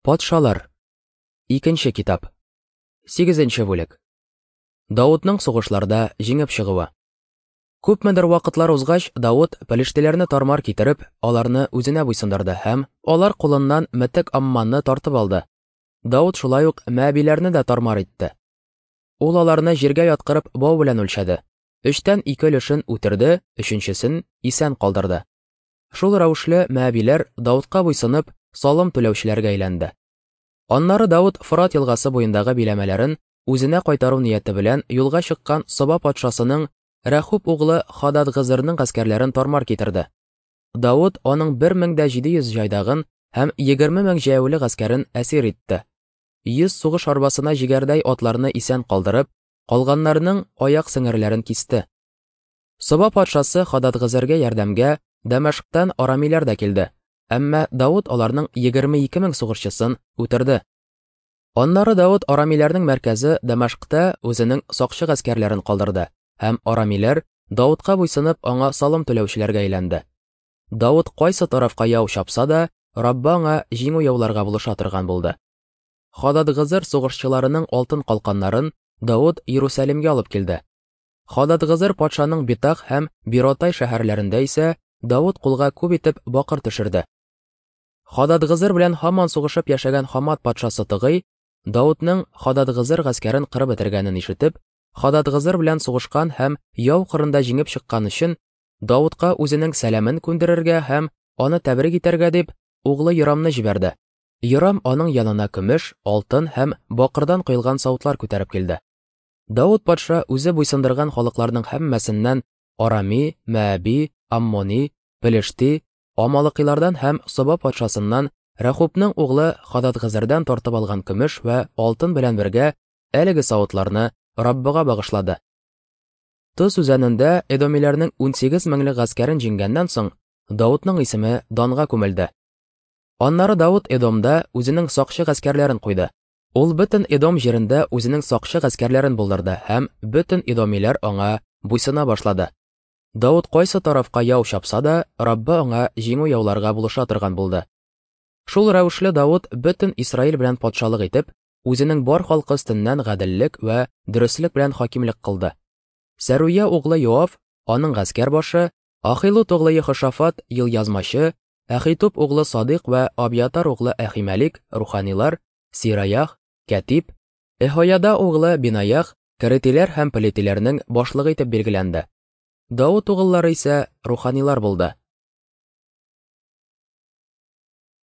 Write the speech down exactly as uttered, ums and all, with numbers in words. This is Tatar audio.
Патшалар. Икенче китап. Сигезенче бүлек. Давудның сугышларда җиңеп чыгуы. Күпмедер вакытлар узгач, Давуд пелештиләрне тармар китереп, аларны үзенә буйсындырды һәм алар кулыннан Метек Амманны тартып алды. Давуд шулай ук Мәәбиләрне дә тармар итте. Ул аларны җиргә яткырып бау белән үлчәде. Өчтән ике өлешен үтерде, өченчесен исән калдырды. Шул рәвешле Мәәбиләр Давудка буйсынып, салым түләүчеләргә әйләнде. Аннары Давуд Фырат елгасы буендагы биләмәләрен үзенә кайтару нияте белән юлга чыккан Соба патшасының Рәхуб углы Хададгызырның гаскәрләрен тармар китерде. Давуд аның бер мең дә җиде йөз җайдагын һәм егерме мең җәяүле гаскәрен әсир итте. Йөз сугыш арбасына җигәрдәй атларны исән калдырып, калганнарының аяк сеңерләрен кисте. Соба патшасы Хададгызырга ярдәмгә Дәмәшктән арамиләр дә килде. Әмма Давуд аларның егерме ике мең сугышчысын үтерде. Аннары Давуд арамиләрнең мәркәзе Дәмәшктә үзенең сакчы гаскәрләрен калдырды һәм арамиләр Давудка буйсынып аңа салым түләүчеләргә әйләнде. Давуд кайсы тарафка яу чапса да, Раббы аңа җиңү яуларга булыша торган булды. Хададгызыр сугышчыларының алтын калканнарын Давуд Иерусалимгә алып килде. Хададгызыр патшаның Битах һәм Биротай шәһәрләрендә исә Давуд кулга күп итеп бакыр төшерде. Хададгызыр белән һаман сугышып яшәгән Хамат патшасы Тыгый, Давудның Хададгызыр гаскәрен кырып бетергәнен ишетеп, Хададгызыр белән сугышкан һәм яу кырында җиңеп чыккан өчен Давудка үзенең сәламен күндерергә һәм аны тәбрик итәргә дип, углы Йорамны җибәрде. Йорам аның янына көмеш, алтын һәм бакырдан коелган савытлар күтәреп килде. Давуд патша үзе буйсындырган халыкларның һәммәсеннән Арами, Мәәби, Аммони, Пелешти, Амалыкилардан һәм Соба патшасыннан Рәхубның углы Хададгызырдан тартып алган көмеш вә алтын белән бергә әлеге савытларны Раббыга багышлады. Тыз үзәнендә эдомиләрнең унсигез меңлек гаскәрен җиңгәннән соң Давудның исеме данга күмелде. Аннары Давуд Эдомда үзенең сакчы гаскәрләрен куйды. Ул бөтен Эдом җирендә үзенең сакчы гаскәрләрен булдырды һәм бөтен эдомиләр аңа буйсына башлады. Давуд кайсы тарафка яу чапса да, Раббы аңа җиңү яуларга булыша торган булды. Шул рәвешле Давуд бөтен Исраил белән патшалык итеп, үзенең бар халкы өстеннән гаделлек вә дөреслек белән хакимлек кылды. Сәруя углы Йоав, аның гаскәр башы, Ахилут углы Ехошафат елъязмачы, Әхитуб углы Садык вә Абьятар углы Әхимәлик руханилар, Сираях, кәтип, Эхояда углы Бинаях, керетиләр һәм пелетиләрнең башлыгы итеп билгеләнде. Давуд угыллары исә руханилар булды.